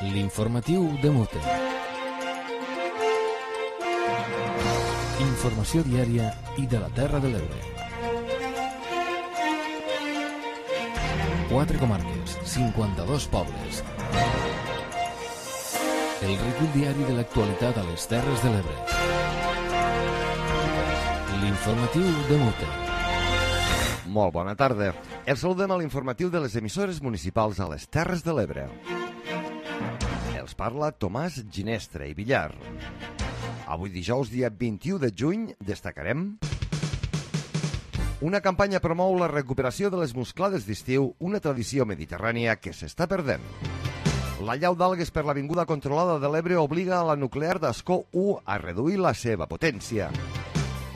L'informatiu de Mute. Informació diària i de la Terra de l'Ebre. 4 comarques, 52 pobles. El recull diari de l'actualitat a les Terres de l'Ebre. L'informatiu de Mute. Molt bona tarda. Els saludem a l'informatiu de les emissores municipals a les Terres de l'Ebre. Els parla Tomàs Ginestra i Villar. Avui dijous, dia 21 de juny, destacarem: una campanya promou la recuperació de les musclades d'estiu, una tradició mediterrània que s'està perdent. La llau d'algues per l'avinguda controlada de l'Ebre obliga a la nuclear d'Ascó 1 a reduir la seva potència.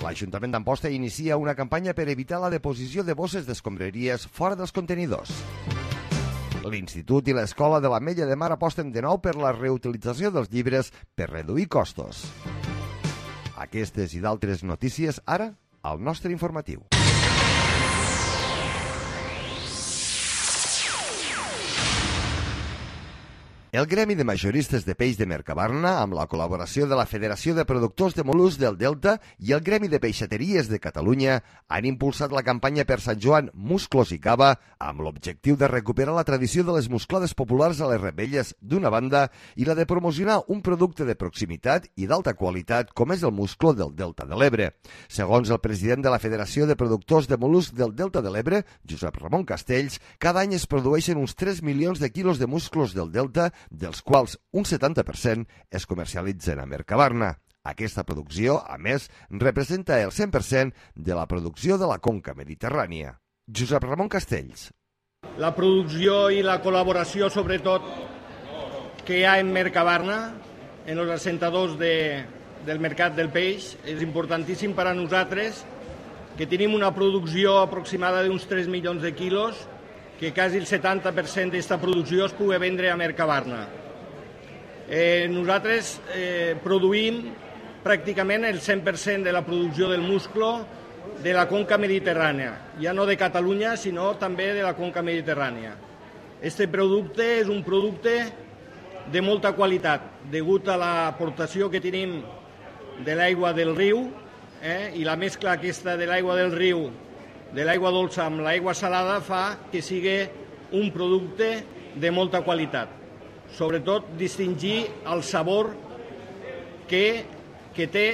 L'Ajuntament d'Amposta inicia una campanya per evitar la deposició de bosses d'escombraries fora dels contenidors. L'Institut i l'Escola de l'Ametlla de Mar aposten de nou per la reutilització dels llibres per reduir costos. Aquestes i d'altres notícies ara al nostre informatiu. El Gremi de Majoristes de Peix de Mercabarna, amb la col·laboració de la Federació de Productors de Mol·luscs del Delta i el Gremi de Peixateries de Catalunya, han impulsat la campanya per Sant Joan Musclos i Cava amb l'objectiu de recuperar la tradició de les musclades populars a les revetlles d'una banda i la de promocionar un producte de proximitat i d'alta qualitat com és el musclo del Delta de l'Ebre. Segons el president de la Federació de Productors de Mol·luscs del Delta de l'Ebre, Josep Ramon Castells, cada any es produeixen uns 3 milions de quilos de musclos del Delta, dels quals un 70% es comercialitzen a Mercabarna. Aquesta producció, a més, representa el 100% de la producció de la conca mediterrània. Josep Ramon Castells. La producció i la col·laboració, sobretot, que hi ha en Mercabarna, en els assentadors del mercat del peix, és importantíssim per a nosaltres, que tenim una producció aproximada d'uns 3 milions de quilos, que quasi el 70% d'aquesta producció es pugui vendre a Mercabarna. Nosaltres produïm pràcticament el 100% de la producció del musclo de la conca mediterrània, ja no de Catalunya, sinó també de la conca mediterrània. Aquest producte és un producte de molta qualitat, degut a l'aportació que tenim de l'aigua del riu, i la mescla aquesta de l'aigua del riu, de l'aigua dolça amb l'aigua salada, fa que sigui un producte de molta qualitat. Sobretot distingir el sabor que té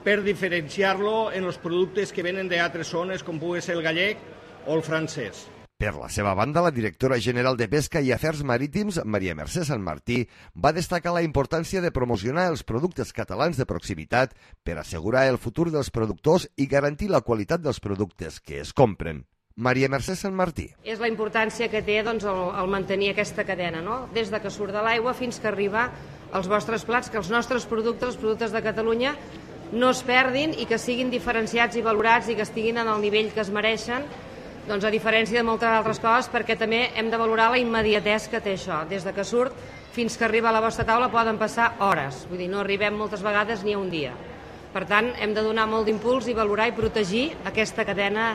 per diferenciar-lo en els productes que venen d'altres zones, com pugui ser el gallec o el francès. Per la seva banda, la directora general de Pesca i Afers Marítims, Maria Mercè Sant Martí, va destacar la importància de promocionar els productes catalans de proximitat per assegurar el futur dels productors i garantir la qualitat dels productes que es compren. Maria Mercè Sant Martí. És la importància que té el mantenir aquesta cadena, no? Des de que surt de l'aigua fins que arriba als vostres plats, que els nostres productes, els productes de Catalunya, no es perdin i que siguin diferenciats i valorats i que estiguin en el nivell que es mereixen, doncs a diferència de moltes altres coses, perquè també hem de valorar la immediatesa que té això. Des de que surt fins que arriba a la vostra taula poden passar hores, vull dir, no arribem moltes vegades ni a un dia. Per tant, hem de donar molt d'impuls i valorar i protegir aquesta cadena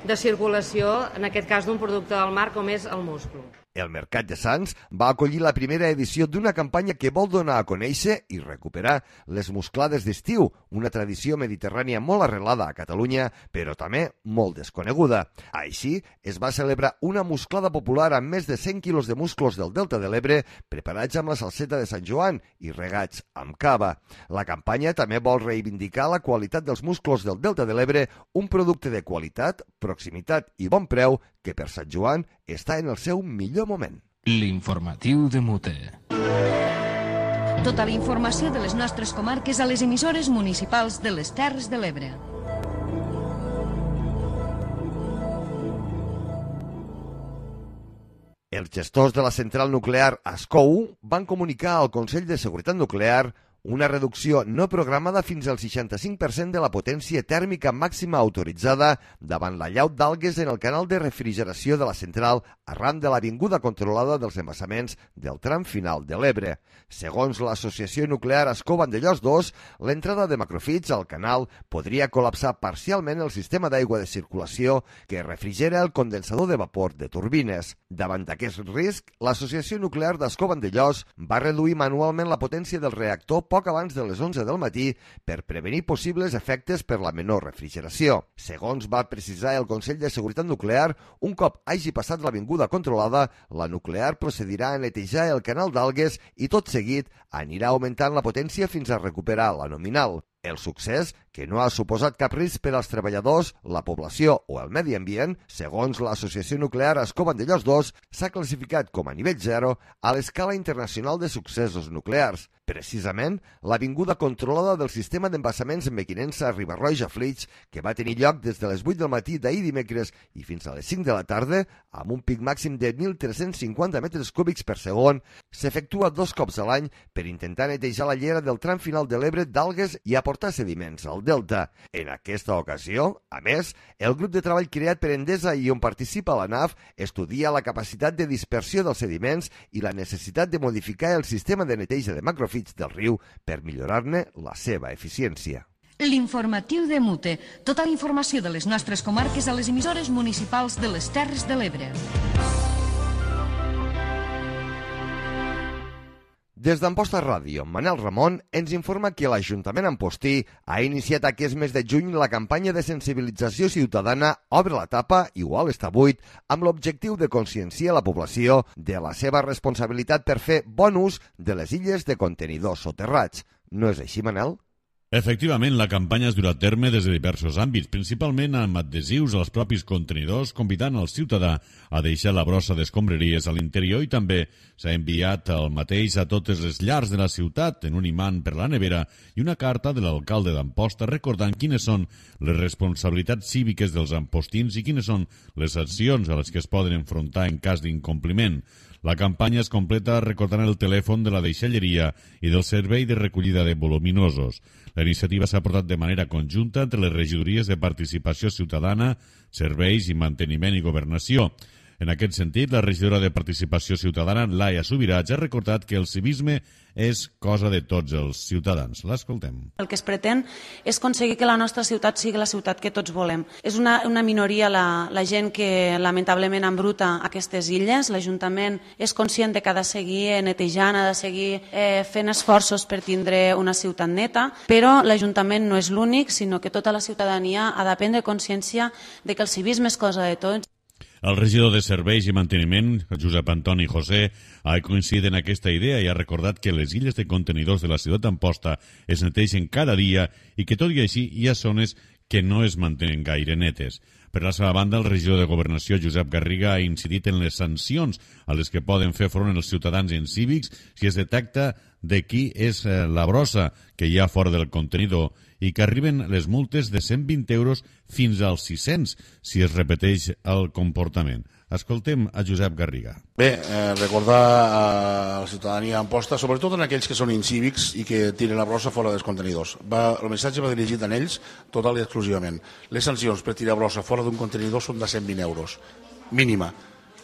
de circulació, en aquest cas d'un producte del mar com és el musclo. El Mercat de Sants va acollir la primera edició d'una campanya que vol donar a conèixer i recuperar les musclades d'estiu, una tradició mediterrània molt arrelada a Catalunya, però també molt desconeguda. Així, es va celebrar una musclada popular amb més de 100 quilos de musclos del Delta de l'Ebre, preparats amb la salseta de Sant Joan i regats amb cava. La campanya també vol reivindicar la qualitat dels musclos del Delta de l'Ebre, un producte de qualitat, proximitat i bon preu que per Sant Joan està en el seu millor moment. L'informatiu de Mute. Tota la informació de les nostres comarques a les emissores municipals de les Terres de l'Ebre. Els gestors de la central nuclear Ascó 1 van comunicar al Consell de Seguretat Nuclear una reducció no programada fins al 65% de la potència tèrmica màxima autoritzada davant l'allaut d'algues en el canal de refrigeració de la central arran de l'avinguda controlada dels embassaments del tram final de l'Ebre. Segons l'Associació Nuclear Ascó Vandellòs 2, l'entrada de macrofits al canal podria col·lapsar parcialment el sistema d'aigua de circulació que refrigera el condensador de vapor de turbines. Davant d'aquest risc, l'Associació Nuclear d'Ascó Vandellòs va reduir manualment la potència del reactor poc abans de les 11 del matí per prevenir possibles efectes per la menor refrigeració. Segons va precisar el Consell de Seguretat Nuclear, un cop hagi passat l'avinguda controlada, la nuclear procedirà a netejar el canal d'algues i tot seguit anirà augmentant la potència fins a recuperar la nominal. El succés, que no ha suposat cap risc per als treballadors, la població o el medi ambient, segons l'Associació Nuclear Ascó Vandellòs 2, s'ha classificat com a nivell 0 a l'escala internacional de successos nuclears. Precisament, l'avinguda controlada del sistema d'embassaments en Mequinensa a Riba-roja Flix, que va tenir lloc des de les 8 del matí d'ahir dimecres i fins a les 5 de la tarda, amb un pic màxim de 1.350 metres cúbics per segon, s'efectua 2 cops a l'any per intentar netejar la llera del tram final de l'Ebre d'algues i aportar sediments al delta. En aquesta ocasió, a més, el grup de treball creat per Endesa i on participa la NAF estudia la capacitat de dispersió dels sediments i la necessitat de modificar el sistema de neteja de macrofits del riu per millorar-ne la seva eficiència. L'informatiu de Mute. Tota la informació de les nostres comarques a les emissores municipals de les Terres de l'Ebre. Des d'Amposta Ràdio, Manel Ramon ens informa que l'Ajuntament Ampostí ha iniciat aquest mes de juny la campanya de sensibilització ciutadana Obre la tapa, igual està buit, amb l'objectiu de conscienciar la població de la seva responsabilitat per fer bon ús de les illes de contenidors soterrats. No és així, Manel? Efectivament, la campanya es durà a terme des de diversos àmbits, principalment amb adhesius als propis contenidors, convidant el ciutadà a deixar la brossa d'escombraries a l'interior i també s'ha enviat el mateix a totes les llars de la ciutat en un imant per la nevera i una carta de l'alcalde d'Amposta recordant quines són les responsabilitats cíviques dels ampostins i quines són les accions a les que es poden enfrontar en cas d'incompliment. La campanya es completa recordant el telèfon de la deixalleria i del servei de recollida de voluminosos. La iniciativa s'ha portat de manera conjunta entre les regidories de participació ciutadana, serveis i manteniment i governació. En aquest sentit, la regidora de Participació Ciutadana, Laia Subirats, ha recordat que el civisme és cosa de tots els ciutadans. L'escoltem. El que es pretén és aconseguir que la nostra ciutat sigui la ciutat que tots volem. És una minoria la gent que lamentablement embruta aquestes illes. L'Ajuntament és conscient de que ha de seguir netejant, ha de seguir fent esforços per tindre una ciutat neta, però l'Ajuntament no és l'únic, sinó que tota la ciutadania ha de prendre consciència de que el civisme és cosa de tots. El regidor de Serveis i Manteniment, Josep Antoni José, ha coincidit en aquesta idea i ha recordat que les illes de contenidors de la ciutat d'Amposta es neteixen cada dia i que tot i així hi ha zones que no es mantenen gaire netes. Per la seva banda, el regidor de Governació, Josep Garriga, ha incidit en les sancions a les que poden fer front els ciutadans en cívics si es detecta de qui és la brossa que hi ha fora del contenidor i que arriben les multes de 120 euros fins als 600 si es repeteix el comportament. Escoltem a Josep Garriga. Bé, recordar a la ciutadania d'Amposta, sobretot en aquells que són incívics i que tiren la brossa fora dels contenidors. El missatge va dirigit a ells total i exclusivament. Les sancions per tirar brossa fora d'un contenidor són de 120 euros, mínima.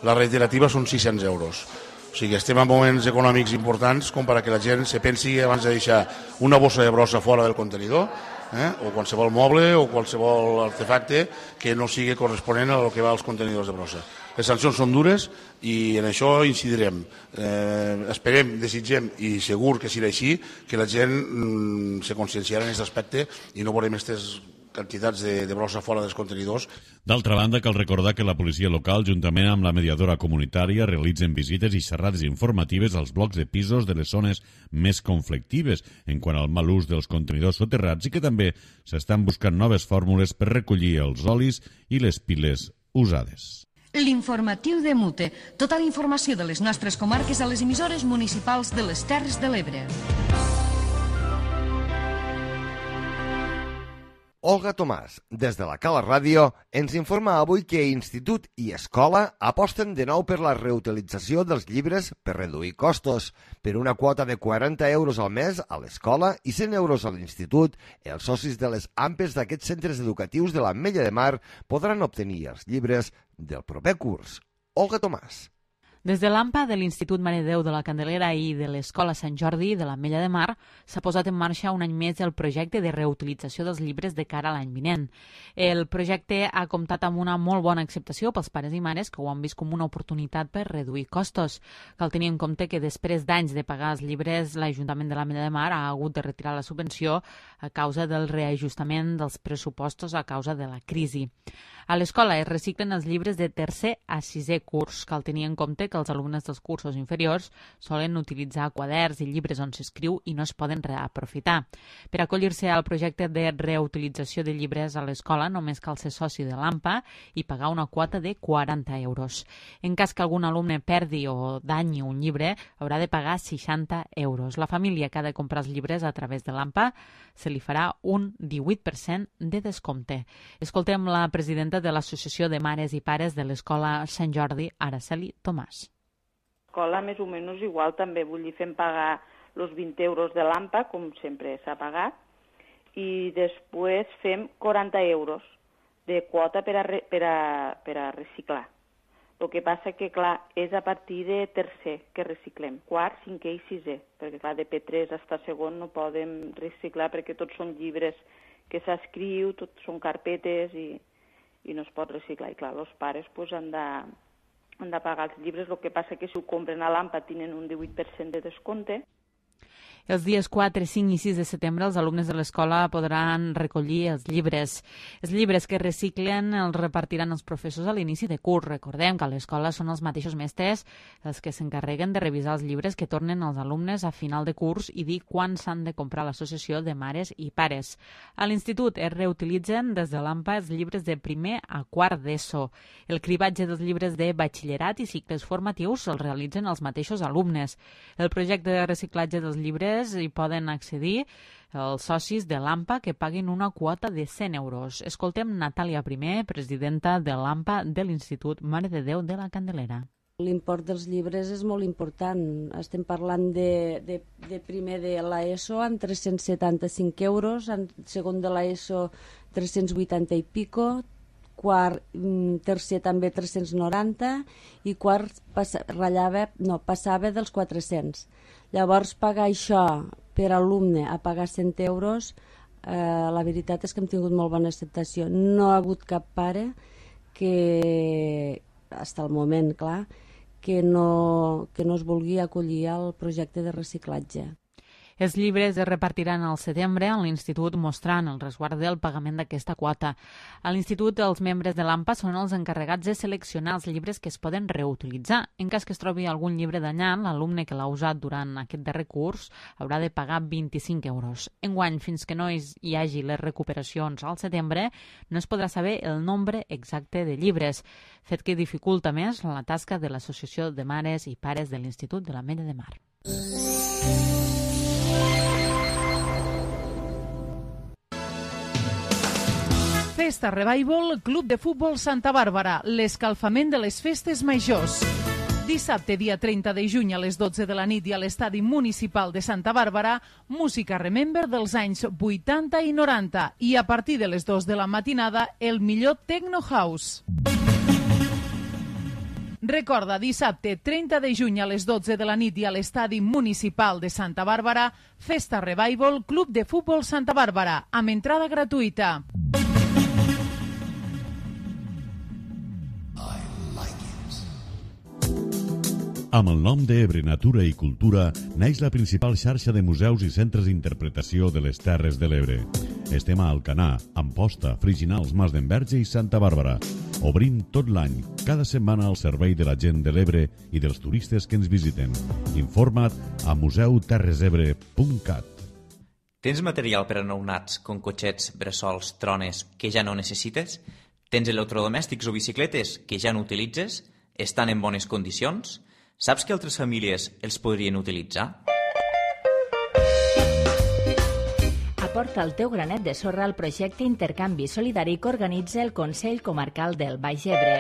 La reiterativa són 600 euros. O sigui, estem en moments econòmics importants com per a que la gent se pensi abans de deixar una bossa de brossa fora del contenidor o qualsevol moble o qualsevol artefacte que no sigui corresponent a lo que va als contenidors de brossa. Les sancions són dures i en això incidirem. Esperem, desitgem i segur que serà així que la gent se conscienciarà en aquest aspecte i no veurem aquestes quantitats de brossa fora dels contenidors. D'altra banda, cal recordar que la policia local, juntament amb la mediadora comunitària, realitzen visites i xerrades informatives als blocs de pisos de les zones més conflictives en quant al mal ús dels contenidors soterrats i que també s'estan buscant noves fórmules per recollir els olis i les piles usades. L'informatiu de Mute. Tota la informació de les nostres comarques a les emissores municipals de les Terres de l'Ebre. Olga Tomàs, des de la Cala Ràdio, ens informa avui que Institut i Escola aposten de nou per la reutilització dels llibres per reduir costos. Per una quota de 40 euros al mes a l'escola i 100 euros a l'institut, els socis de les AMPEs d'aquests centres educatius de l'Ametlla de Mar podran obtenir els llibres del proper curs. Olga Tomàs. Des de l'AMPA de l'Institut Mare de Déu de la Candelera i de l'Escola Sant Jordi de l'Ametlla de Mar s'ha posat en marxa un any més el projecte de reutilització dels llibres de cara a l'any vinent. El projecte ha comptat amb una molt bona acceptació pels pares i mares que ho han vist com una oportunitat per reduir costos. Cal tenir en compte que després d'anys de pagar els llibres, l'Ajuntament de l'Ametlla de Mar ha hagut de retirar la subvenció a causa del reajustament dels pressupostos a causa de la crisi. A l'escola es reciclen els llibres de tercer a sisè curs. Cal tenir en compte que els alumnes dels cursos inferiors solen utilitzar quaderns i llibres on s'escriu i no es poden reaprofitar. Per acollir-se al projecte de reutilització de llibres a l'escola només cal ser soci de l'AMPA i pagar una quota de 40 euros. En cas que algun alumne perdi o danyi un llibre, haurà de pagar 60 euros. La família que ha de comprar els llibres a través de l'AMPA se li farà un 18% de descompte. Escoltem la presidenta de l'Associació de Mares i Pares de l'Escola Sant Jordi, Araceli Tomàs. L'escola més o menys igual també, vull dir, fem pagar els 20 euros de l'AMPA, com sempre s'ha pagat, i després fem 40 euros de quota per a reciclar. El que passa que, clar, és a partir de tercer que reciclem, quart, cinquè i sisè, perquè, clar, de P3 fins a segon no podem reciclar perquè tots són llibres que s'escriu, tots són carpetes i no es pot reciclar. I, clar, els pares pues, han de pagar els llibres, el que passa que si ho compren a l'AMPA tenen un 18% de descompte. Els dies 4, 5 i 6 de setembre els alumnes de l'escola podran recollir els llibres. Els llibres que reciclen els repartiran els professors a l'inici de curs. Recordem que a l'escola són els mateixos mestres els que s'encarreguen de revisar els llibres que tornen als alumnes a final de curs i dir quan s'han de comprar a l'associació de mares i pares. A l'institut es reutilitzen des de l'AMPA els llibres de primer a quart d'ESO. El cribatge dels llibres de batxillerat i cicles formatius els realitzen els mateixos alumnes. El projecte de reciclatge dels llibres hi poden accedir els socis de l'AMPA que paguin una quota de 100 euros. Escoltem Natàlia Primer, presidenta de l'AMPA de l'Institut Mare de Déu de la Candelera. L'import dels llibres és molt important. Estem parlant de primer de l'ESO amb 375 euros, en segon de l'ESO 380 i pico, quart, tercer també 390 i quart passava dels 400. Llavors, pagar això per alumne a pagar 100 euros, la veritat és que hem tingut molt bona acceptació. No ha hagut cap pare que, fins al moment, clar, que no es vulgui acollir al projecte de reciclatge. Els llibres es repartiran al setembre a l'institut mostrant el resguard del pagament d'aquesta quota. A l'institut, els membres de l'AMPA són els encarregats de seleccionar els llibres que es poden reutilitzar. En cas que es trobi algun llibre danyat, l'alumne que l'ha usat durant aquest darrer curs haurà de pagar 25 euros. Enguany, fins que no hi hagi les recuperacions al setembre, no es podrà saber el nombre exacte de llibres, fet que dificulta més la tasca de l'Associació de Mares i Pares de l'Institut de l'Ametlla de Mar. Festa Revival, Club de Futbol Santa Bàrbara, l'escalfament de les festes majors. Dissabte, dia 30 de juny a les 12 de la nit i a l'Estadi Municipal de Santa Bàrbara, música Remember dels anys 80 i 90 i a partir de les 2 de la matinada el millor Techno House. Recorda, dissabte 30 de juny a les 12 de la nit i a l'Estadi Municipal de Santa Bàrbara, Festa Revival, Club de Futbol Santa Bàrbara, amb entrada gratuïta. Amb el nom d'Ebre Natura i Cultura neix la principal xarxa de museus i centres d'interpretació de les Terres de l'Ebre. Estem a Alcanar, Amposta, Friginals, Mas d'Enverge i Santa Bàrbara. Obrim tot l'any, cada setmana al servei de la gent de l'Ebre i dels turistes que ens visiten. Informa't a museuterresebre.cat. Tens material per a nounats, com cotxets, bressols, trones, que ja no necessites? Tens electrodomèstics o bicicletes que ja no utilitzes? Estan en bones condicions? Saps que altres famílies els podrien utilitzar? A aporta el teu granet de sorra al projecte Intercanvi Solidari que organitza el Consell Comarcal del Baix Ebre.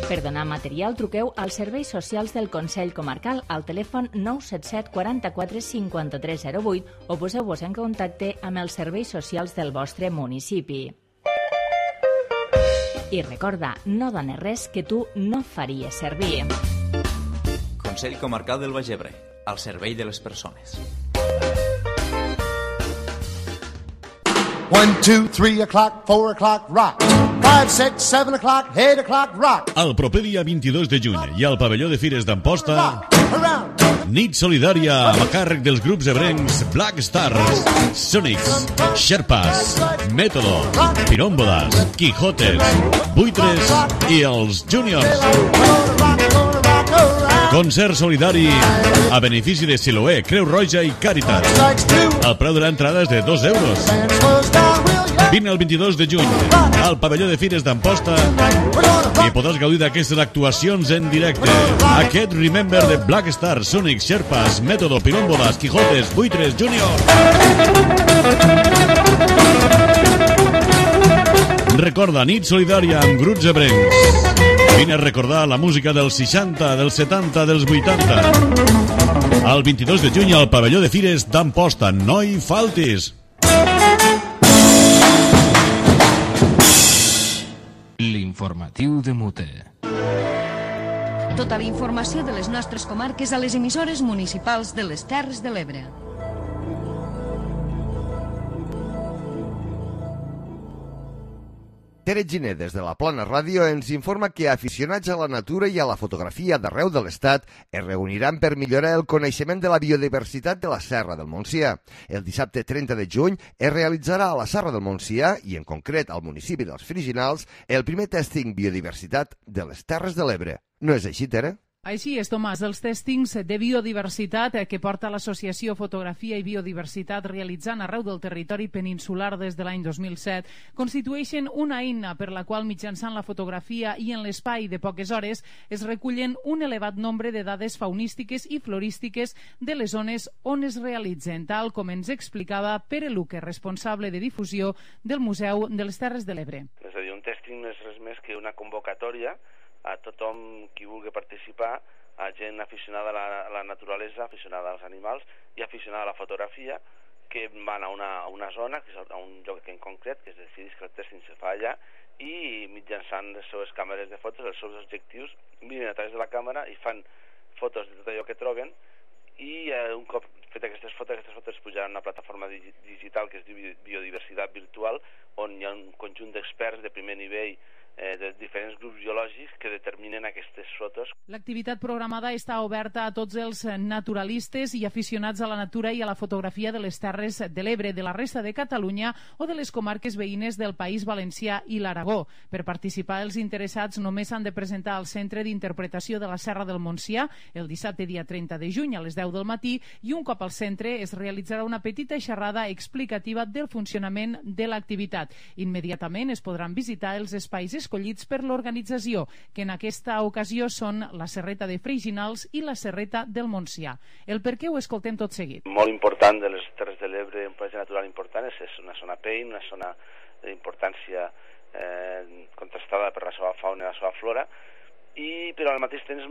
Per donar material, truqueu als serveis socials del Consell Comarcal al telèfon 977 44 53 08 o poseu-vos en contacte amb els serveis socials del vostre municipi. I recorda, no dones res que tu no faries servir. Consell Comarcal del Baix Ebre, al servei de les persones. 1, 2, 3 o'clock, 4 o'clock, rock. 5, 6, 7 o'clock, 8 o'clock, rock. El proper dia 22 de juny i al pavelló de Fires d'Amposta, nit solidària a càrrec dels grups ebrencs Black Stars, Sonics, Sherpas, Método, Pirómbodas, Quijotes, Buitres i els Juniors. Concert solidari a benefici de Siloé, Creu Roja i Càritas. El preu de l'entrada és de 2 euros. Vine el 22 de juny al pavelló de Fires d'Amposta i podràs gaudir d'aquestes actuacions en directe. Aquest Remember de Black Stars, Sonic, Sherpas, Método, Pirómbodas, Quijotes, Buitres, Junior. Recorda, nit solidària amb grups ebrencs. Vine a recordar la música dels 60, dels 70, dels 80. El 22 de juny al pavelló de Fires d'Amposta. No hi faltis! L'informatiu de Mute. Tota la informació de les nostres comarques a les emissores municipals de les Terres de l'Ebre. Tere Giner, des de la Plana Ràdio, ens informa que aficionats a la natura i a la fotografia d'arreu de l'Estat es reuniran per millorar el coneixement de la biodiversitat de la Serra del Montsià. El dissabte 30 de juny es realitzarà a la Serra del Montsià, i en concret al municipi dels Friginals, el primer tèsting biodiversitat de les Terres de l'Ebre. No és així, Tere? Així és, Tomàs. Els tèstings de biodiversitat que porta l'Associació Fotografia i Biodiversitat realitzant arreu del territori peninsular des de l'any 2007 constitueixen una eina per la qual mitjançant la fotografia i en l'espai de poques hores es recullen un elevat nombre de dades faunístiques i florístiques de les zones on es realitzen, tal com ens explicava Pere Luque, responsable de difusió del Museu de les Terres de l'Ebre. És a dir, un tèsting no és res més que una convocatòria a tothom qui vulgui participar, a gent aficionada a la naturalesa, aficionada als animals i aficionada a la fotografia, que van a una zona, que és a un lloc en concret, que es decideix que el tèsting se fa allà, i mitjançant les seves càmeres de fotos, els seus objectius, miren a través de la càmera i fan fotos de tot allò que troben, i un cop fet aquestes fotos es pujaran a una plataforma digital que es diu Biodiversitat Virtual, on hi ha un conjunt d'experts de primer nivell de diferents grups biològics que determinen aquestes fotos. L'activitat programada està oberta a tots els naturalistes i aficionats a la natura i a la fotografia de les Terres de l'Ebre, de la resta de Catalunya o de les comarques veïnes del País Valencià i l'Aragó. Per participar, els interessats només s'han de presentar al Centre d'Interpretació de la Serra del Montsià el dissabte dia 30 de juny a les 10 del matí, i un cop al centre es realitzarà una petita xerrada explicativa del funcionament de l'activitat. Immediatament es podran visitar els espais escollits per l'organització, que en aquesta ocasió són la Serreta de Friginals i la Serreta del Montsià. El per què ho escoltem tot seguit. Molt important de les Terres de l'Ebre, un paratge natural important, és una zona PEIN, una zona d'importància contrastada per la seva fauna i la seva flora, però al mateix temps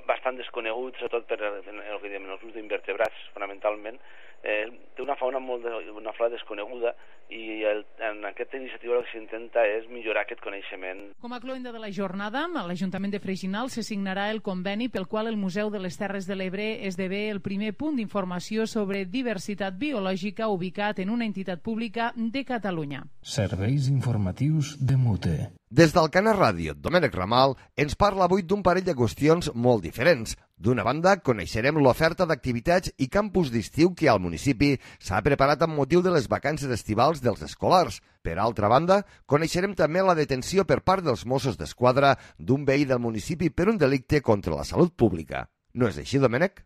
bastant desconegut, sobretot per el que diem els grups d'invertebrats, fonamentalment. Té una fauna una flora desconeguda, i en aquesta iniciativa el que s'intenta és millorar aquest coneixement. Com a cloenda de la jornada, a l'Ajuntament de Friginals se signarà el conveni pel qual el Museu de les Terres de l'Ebre esdevé el primer punt d'informació sobre diversitat biològica ubicat en una entitat pública de Catalunya. Serveis informatius de Mute. Des del Canal Ràdio, Domènec Ramal ens parla avui d'un parell de qüestions molt diferents. D'una banda, coneixerem l'oferta d'activitats i campus d'estiu que al municipi s'ha preparat amb motiu de les vacances estivals dels escolars. Per altra banda, coneixerem també la detenció per part dels Mossos d'Esquadra d'un veí del municipi per un delicte contra la salut pública. No és així, Domènec?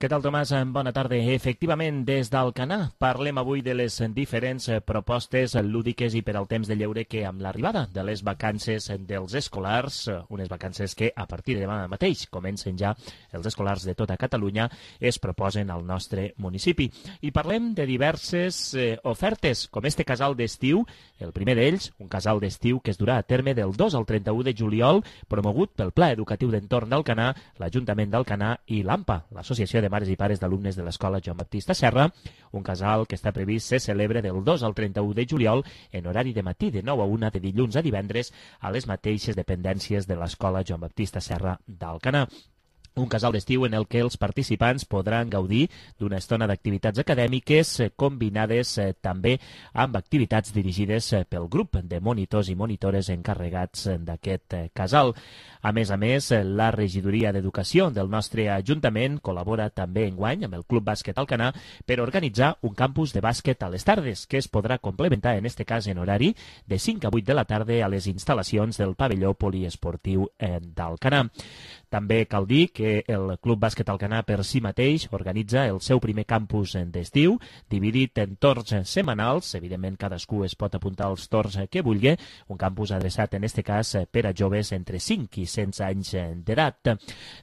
Què tal, Tomàs? Bona tarda. Efectivament, des d'Alcanar parlem avui de les diferents propostes lúdiques i per al temps de lleure que amb l'arribada de les vacances dels escolars, unes vacances que a partir de demà mateix comencen ja els escolars de tota Catalunya, es proposen al nostre municipi. I parlem de diverses ofertes, com este casal d'estiu, el primer d'ells, un casal d'estiu que es durà a terme del 2 al 31 de juliol, promogut pel Pla Educatiu d'Entorn d'Alcanar, l'Ajuntament d'Alcanar i l'AMPA, l'Associació de Mares i Pares d'Alumnes de l'Escola Joan Baptista Serra, un casal que està previst se celebra del 2 al 31 de juliol en horari de matí de 9 a 1 de dilluns a divendres a les mateixes dependències de l'Escola Joan Baptista Serra d'Alcanar. Un casal d'estiu en el que els participants podran gaudir d'una estona d'activitats acadèmiques combinades també amb activitats dirigides pel grup de monitors i monitores encarregats d'aquest casal. A més, la regidoria d'Educació del nostre Ajuntament col·labora també enguany amb el Club Bàsquet Alcanar per organitzar un campus de bàsquet a les tardes que es podrà complementar, en este cas en horari, de 5 a 8 de la tarda a les instal·lacions del pavelló poliesportiu d'Alcanar. També cal dir que el Club Bàsquet Alcanar per si mateix organitza el seu primer campus d'estiu, dividit en torns setmanals. Evidentment, cadascú es pot apuntar als torns que vulgui. Un campus adreçat, en este cas, per a joves entre 5 i 16 anys d'edat.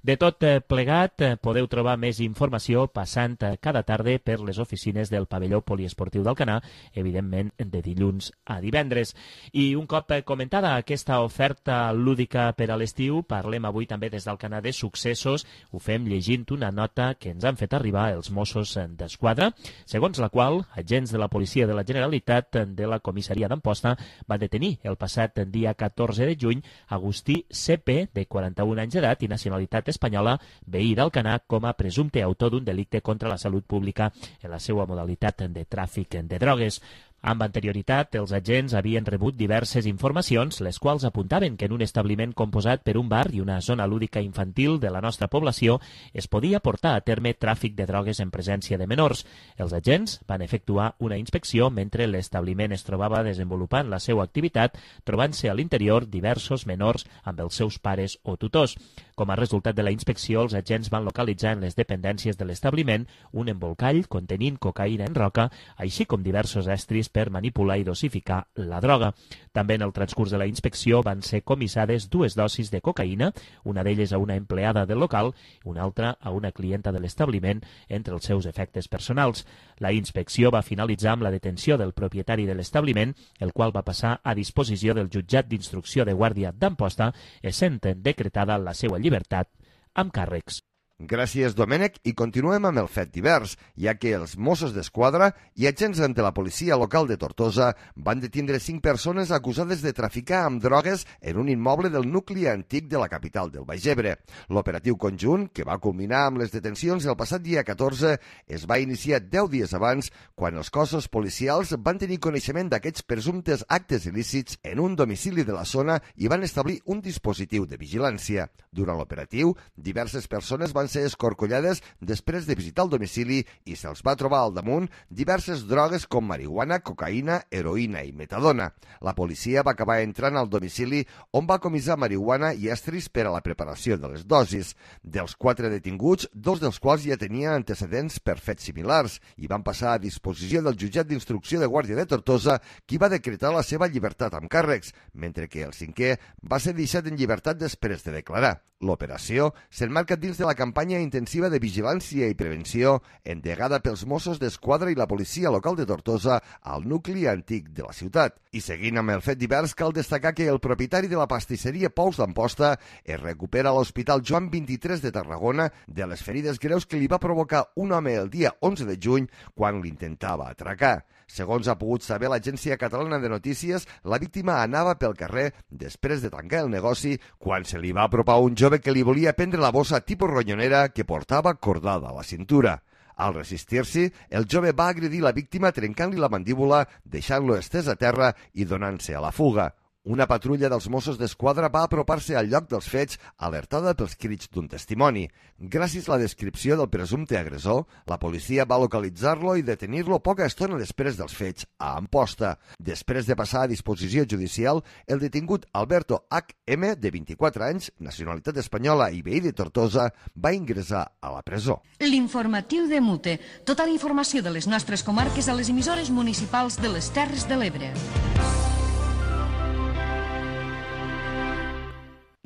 De tot plegat, podeu trobar més informació passant cada tarda per les oficines del pavelló poliesportiu d'Alcanar, evidentment, de dilluns a divendres. I un cop comentada aquesta oferta lúdica per a l'estiu, parlem avui també des d'Alcanar de successos. Ho fem llegint una nota que ens han fet arribar els Mossos d'Esquadra, segons la qual agents de la Policia de la Generalitat de la comissaria d'Amposta van detenir el passat dia 14 de juny Agustí C.P., de 41 anys d'edat i nacionalitat espanyola, veí d'Alcanar, com a presumpte autor d'un delicte contra la salut pública en la seva modalitat de tràfic de drogues. Amb anterioritat, els agents havien rebut diverses informacions, les quals apuntaven que en un establiment composat per un bar i una zona lúdica infantil de la nostra població es podia portar a terme tràfic de drogues en presència de menors. Els agents van efectuar una inspecció mentre l'establiment es trobava desenvolupant la seva activitat, trobant-se a l'interior diversos menors amb els seus pares o tutors. Com a resultat de la inspecció, els agents van localitzar en les dependències de l'establiment un embolcall contenint cocaïna en roca, així com diversos estris per manipular i dosificar la droga. També en el transcurs de la inspecció van ser comissades 2 dosis de cocaïna, una d'elles a una empleada del local i una altra a una clienta de l'establiment, entre els seus efectes personals. La inspecció va finalitzar amb la detenció del propietari de l'establiment, el qual va passar a disposició del jutjat d'instrucció de Guàrdia d'Amposta, essent decretada la seva llibertat amb càrrecs. Gràcies, Domènec, i continuem amb el fet divers, ja que els Mossos d'Esquadra i agents de la policia local de Tortosa van detindre 5 persones acusades de traficar amb drogues en un immoble del nucli antic de la capital del Baix Ebre. L'operatiu conjunt, que va culminar amb les detencions el passat dia 14, es va iniciar 10 dies abans, quan els cossos policials van tenir coneixement d'aquests presumptes actes il·lícits en un domicili de la zona i van establir un dispositiu de vigilància. Durant l'operatiu, diverses persones van ser escorcollades després de visitar el domicili i se'ls va trobar al damunt diverses drogues com marihuana, cocaïna, heroïna i metadona. La policia va acabar entrant al domicili on va comissar marihuana i estris per a la preparació de les dosis. Dels 4 detinguts, 2 dels quals ja tenien antecedents per fets similars i van passar a disposició del jutjat d'instrucció de Guàrdia de Tortosa, qui va decretar la seva llibertat amb càrrecs, mentre que el 5è va ser deixat en llibertat després de declarar. L'operació s'emmarca dins de la campanya intensiva de vigilància i prevenció endegada pels Mossos d'Esquadra i la policia local de Tortosa al nucli antic de la ciutat. I seguint amb el fet divers, cal destacar que el propietari de la pastisseria Pous d'Amposta es recupera a l'Hospital Joan 23 de Tarragona de les ferides greus que li va provocar un home el dia 11 de juny quan l'intentava atracar. Segons ha pogut saber l'Agència Catalana de Notícies, la víctima anava pel carrer després de tancar el negoci quan se li va apropar un jove que li volia prendre la bossa tipus ronyonera que portava cordada a la cintura. Al resistir-s'hi, el jove va agredir la víctima trencant-li la mandíbula, deixant-lo estès a terra i donant-se a la fuga. Una patrulla dels Mossos d'Esquadra va apropar-se al lloc dels fets, alertada pels crits d'un testimoni. Gràcies a la descripció del presumpte agressor, la policia va localitzar-lo i detenir-lo poca estona després dels fets a Amposta. Després de passar a disposició judicial, el detingut Alberto H.M., de 24 anys, nacionalitat espanyola i veí de Tortosa, va ingressar a la presó. L'informatiu de Mute. Tota la informació de les nostres comarques a les emissores municipals de les Terres de l'Ebre.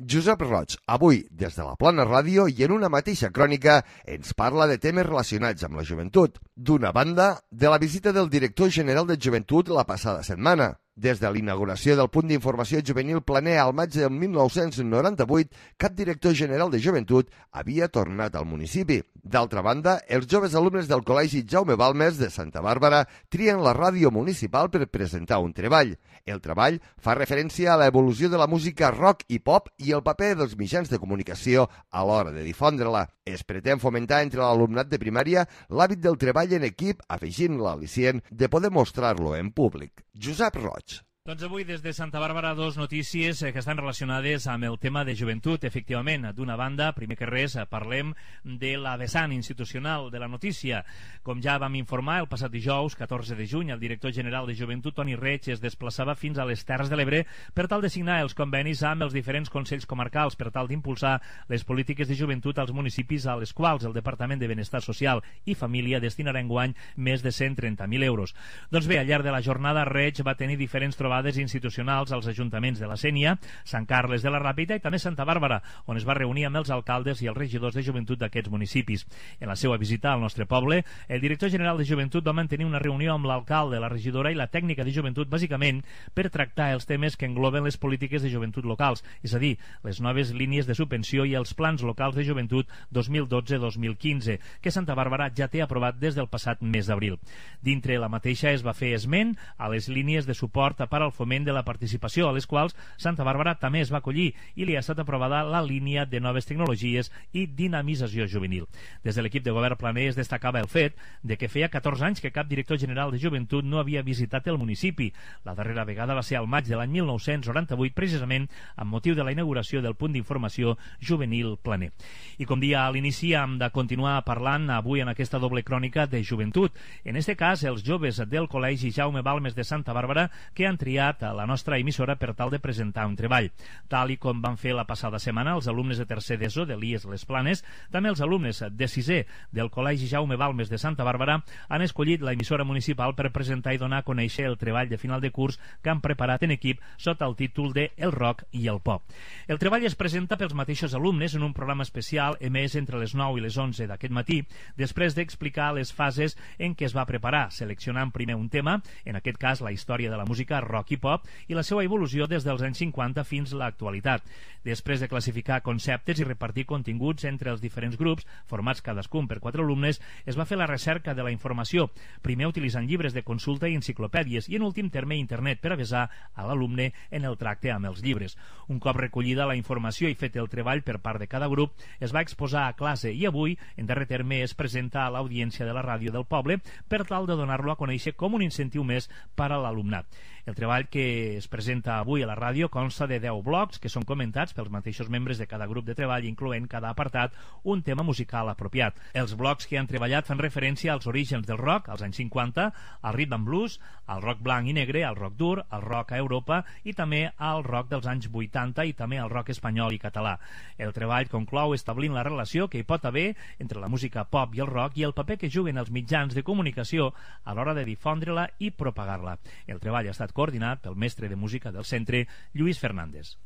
Josep Roig, avui, des de la Plana Ràdio i en una mateixa crònica, ens parla de temes relacionats amb la joventut. D'una banda, de la visita del director general de Joventut la passada setmana. Des de l'inauguració del punt d'informació juvenil Planer al maig del 1998, cap director general de Joventut havia tornat al municipi. D'altra banda, els joves alumnes del Col·legi Jaume Balmes de Santa Bàrbara trien la ràdio municipal per presentar un treball. El treball fa referència a l'evolució de la música rock i pop i el paper dels mitjans de comunicació a l'hora de difondre-la. Es pretén fomentar entre l'alumnat de primària l'hàbit del treball en equip, afegint l'al·licient de poder mostrar-lo en públic. Josep Roig. Doncs avui des de Santa Bàrbara dos notícies que estan relacionades amb el tema de joventut, efectivament. D'una banda, primer que res, parlem de la vessant institucional de la notícia. Com ja vam informar, el passat dijous, 14 de juny, el director general de Joventut, Toni Reig, es desplaçava fins a les Terres de l'Ebre per tal de signar els convenis amb els diferents consells comarcals per tal d'impulsar les polítiques de joventut als municipis a les quals el Departament de Benestar Social i Família destinarà enguany més de 130.000 euros. Doncs bé, al llarg de la jornada, Reig va tenir diferents trobades institucionals als ajuntaments de la Sénia, Sant Carles de la Ràpita i també Santa Bàrbara, on es va reunir amb els alcaldes i els regidors de joventut d'aquests municipis. En la seva visita al nostre poble, el director general de Joventut va mantenir una reunió amb l'alcalde, la regidora i la tècnica de joventut, bàsicament per tractar els temes que engloben les polítiques de joventut locals, és a dir, les noves línies de subvenció i els plans locals de joventut 2012-2015, que Santa Bàrbara ja té aprovat des del passat mes d'abril. Dintre la mateixa es va fer esment a les línies de suport per al foment de la participació, a les quals Santa Bàrbara també es va acollir i li ha estat aprovada la línia de noves tecnologies i dinamització juvenil. Des de l'equip de govern planer es destacava el fet de que feia 14 anys que cap director general de joventut no havia visitat el municipi. La darrera vegada va ser al maig de l'any 1998, precisament amb motiu de la inauguració del punt d'informació juvenil planer. I com dia a l'inici hem de continuar parlant avui en aquesta doble crònica de joventut. En este cas, els joves del Col·legi Jaume Balmes de Santa Bàrbara que han triat a la nostra emissora per tal de presentar un treball. Tal i com van fer la passada setmana els alumnes de tercer d'ESO de l'IES Les Planes, també els alumnes de sisè del Col·legi Jaume Balmes de Santa Bàrbara han escollit l'emissora municipal per presentar i donar a conèixer el treball de final de curs que han preparat en equip sota el títol de El rock i el pop. El treball es presenta pels mateixos alumnes en un programa especial emès entre les 9 i les 11 d'aquest matí, després d'explicar les fases en què es va preparar, seleccionant primer un tema, en aquest cas la història de la música rock i pop, i la seva evolució des dels anys 50 fins a l'actualitat. Després de classificar conceptes i repartir continguts entre els diferents grups, formats cadascun per 4 alumnes, es va fer la recerca de la informació, primer utilitzant llibres de consulta i enciclopèdies, i en últim terme internet per avisar a l'alumne en el tracte amb els llibres. Un cop recollida la informació i fet el treball per part de cada grup, es va exposar a classe i avui, en darrer terme, es presenta a l'audiència de la ràdio del poble per tal de donar-lo a conèixer com un incentiu més per a l'alumnat. El treball que es presenta avui a la ràdio consta de 10 blocs que són comentats pels mateixos membres de cada grup de treball, incloent cada apartat un tema musical apropiat. Els blocs que han treballat fan referència als orígens del rock, als anys 50, al rhythm and blues, al rock blanc i negre, al rock dur, al rock a Europa i també al rock dels anys 80 i també al rock espanyol i català. El treball conclou establint la relació que hi pot haver entre la música pop i el rock i el paper que juguen els mitjans de comunicació a l'hora de difondre-la i propagar-la. El treball ha estat coordinat pel mestre de música del centre, Lluís Fernández.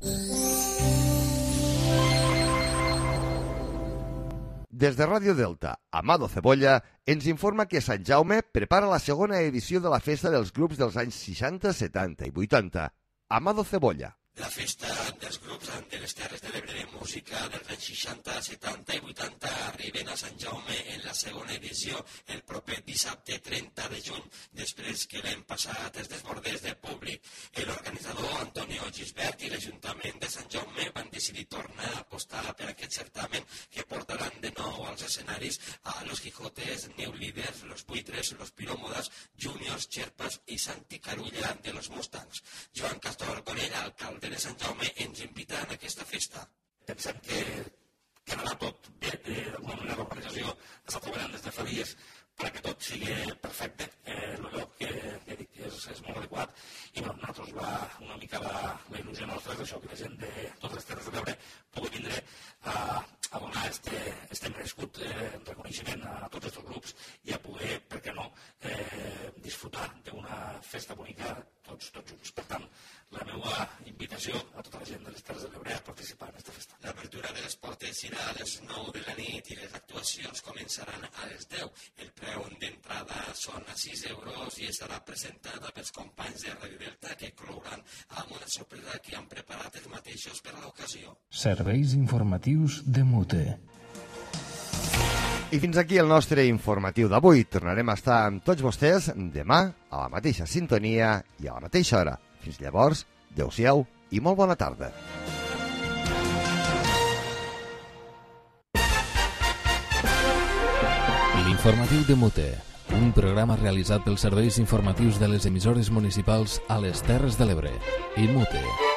Des de Ràdio Delta, Amado Cebolla ens informa que Sant Jaume prepara la segona edició de la festa dels grups dels anys 60, 70 i 80. Amado Cebolla. La festa dels grups de les Terres de l'Ebre de música dels anys 60, 70 i 80 arriben a Sant Jaume en la segona edició el proper dissabte 30 de juny, després que l'any passat es desbordés de públic. L'organitzador Antonio Gisbert i l'Ajuntament de Sant Jaume van decidir tornar a apostar per aquest certamen que portaran de nou als escenaris a Los Quijotes, New Leaders, Los Buitres, Los Pirómodas, Juniors, Xerpas i Santi Carulla de los Mustangs. Joan Castor Corella, alcalde de Sant Jaume, ens invita a aquesta festa. Pensem que quedarà tot bé, d'alguna manera l'organització està treballant des de fa dies perquè tot sigui perfecte. El lloc que dic que és molt adequat i nosaltres va una mica la il·lusió nostra és això, que la gent de totes les Terres de l'Ebre pugui vindre a donar este merescut reconeixement a tots aquests grups i a poder, per què no, disfrutar d'una festa bonica tots junts. Per tant, la meva invitació a tota la gent de les Terres de l'Ebre a participar en aquesta festa. L'apertura de les portes serà a les 9 de la nit i les actuacions començaran a les 10. El preu d'entrada són a 6 euros i estarà presentada pels companys de Radio Delta que clouran amb una sorpresa que han preparat els mateixos per a l'ocasió. Serveis informatius de MUTE. I fins aquí el nostre informatiu d'avui. Tornarem a estar amb tots vostès demà a la mateixa sintonia i a la mateixa hora. Fins llavors, adeu-siau i molt bona tarda. L'informatiu de MUTE, un programa realitzat pels serveis informatius de les emissores municipals a les Terres de l'Ebre i MUTE.